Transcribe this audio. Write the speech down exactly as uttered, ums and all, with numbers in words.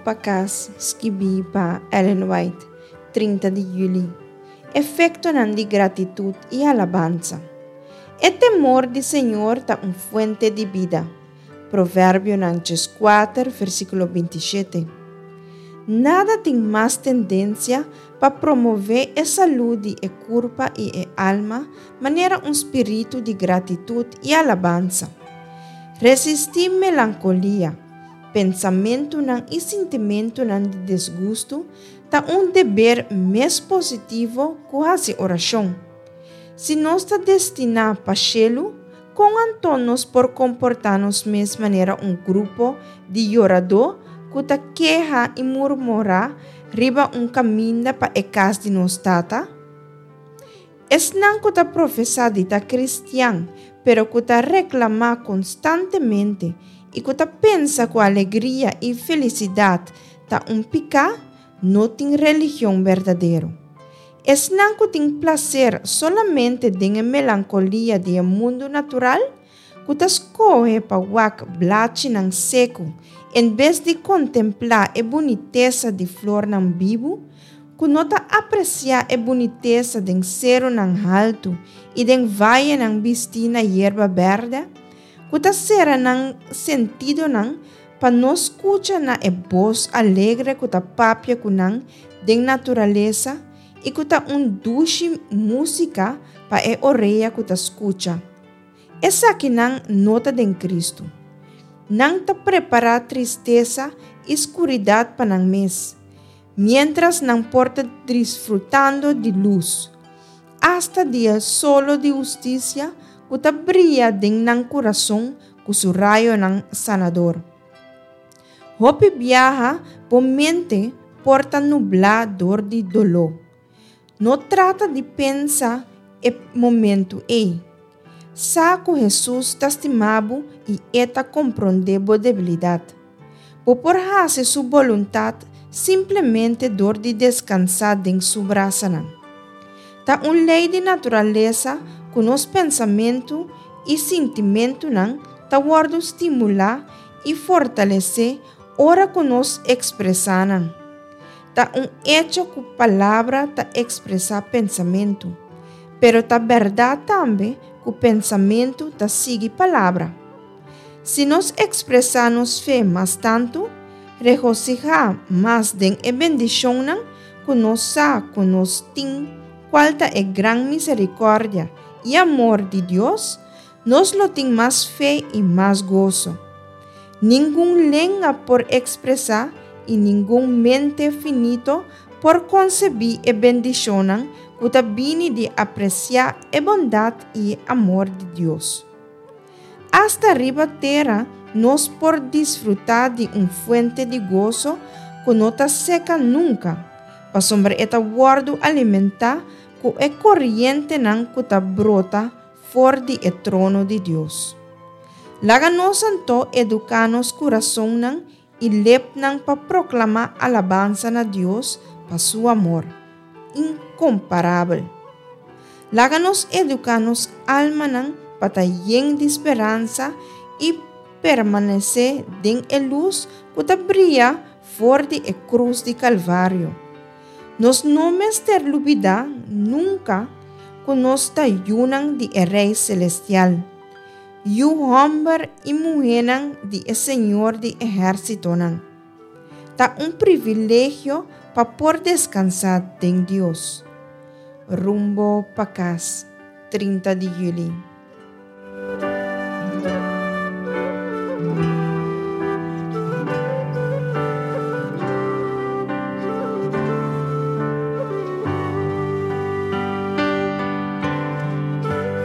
pa Kas, skibí pa Ellen White, trinta di yüli. Efektonan di gratitut i alabansa. E temor di Señor ta un fuente di bida. Proverbionan kuater, versíkulo binti shete. Nada tin mas tendensia pa promové e salú di e kurpa i e alma manera un spiritu di gratitut i alabansa. Resistí melankolia, pensamentunan i sintimentunan di disgustu ta un deber mes positivo ku hasi orashon. Si nos ta destiná pa shelu, kon anto nos por komportá nos mes manera un grupo di yoradó ku ta keha i murmurá riba un kaminda pa e kas di nos Tata? Esnan ku ta profesá di ta kristian, pero ku ta reklamá konstantemente i ku ta pensa ku alegria i felisidat ta un piká, no tin religion berdadero. Esnan ku tin plaser solamente den e melankolia di e mundu natural, ku ta skohe pa wak blachinan seku en bes di kontemplá e bunitesa di flornan bibu, ku no ta apresiá e bunitesa den serunan haltu i den vayenan bistí na yerba bèrdè, ku ta sera nan sentidonan pa no skucha na e bos alegre ku ta papia ku nan den naturalesa i ku ta un dushi músika pa e orea ku ta skucha. Esakinan no ta den Kristu. Nan ta prepará tristesa i skuridat pa nan mes, miéntras nan por ta disfrutando di lus, asta di e solo di hustisia ku ta bria den nan kurason ku su rayonan sanador. Hopi biaha bo mente por ta nublá dor di doló. No trata di pensa e momentu ei. Sa ku Hesus ta stima bo i E ta komprondé bo debilidat. Bo por hasi Su boluntat simplemente dor di deskansá den Su brasanan. Ta un lei di naturalesa ku nos pensamentu i sintimentunan ta wòrdu stimulá i fortalesé ora ku nos ekspresá nan. Ta un echo ku palabra ta ekspresá pensamentu, pero ta bèrdat tambe ku pensamentu ta sigui palabra. Si nos ekspresá nos fe mas tantu, regosihá mas den e bendishonnan ku nos sa ku nos tin, kual ta e gran miserikòrdia i amor di Dios, nos lo tin mas fe i mas goso. Ningun lenga por ekspresá i ningun mente finito por konsebí e bendishonnan ku ta bini di apresiá e bondat i e amor di Dios. Asta riba tera nos por disfrutá di un fuente di goso ku no ta seka nunka, pasobra e ta wòrdu alimentá ku e korientenan ku ta brota for di e trono di Dios. Laga nos anto eduká nos kurasonnan i lepnan pa proklamá alabansa na Dios pa su amor inkomparabel. Laga nos eduká nos almanan pa ta yen di speransa i permanesé den e lus ku ta bria for di e krus di Kalvario. Nos no mester lubidá nunka ku nos ta yunan di e Rei Selestial, yu hòmber i muhénan di e Señor di ehérsitonan. Ta un privilegio pa por deskansá den Dios. Rumbo pa Kas, trinta di yüli.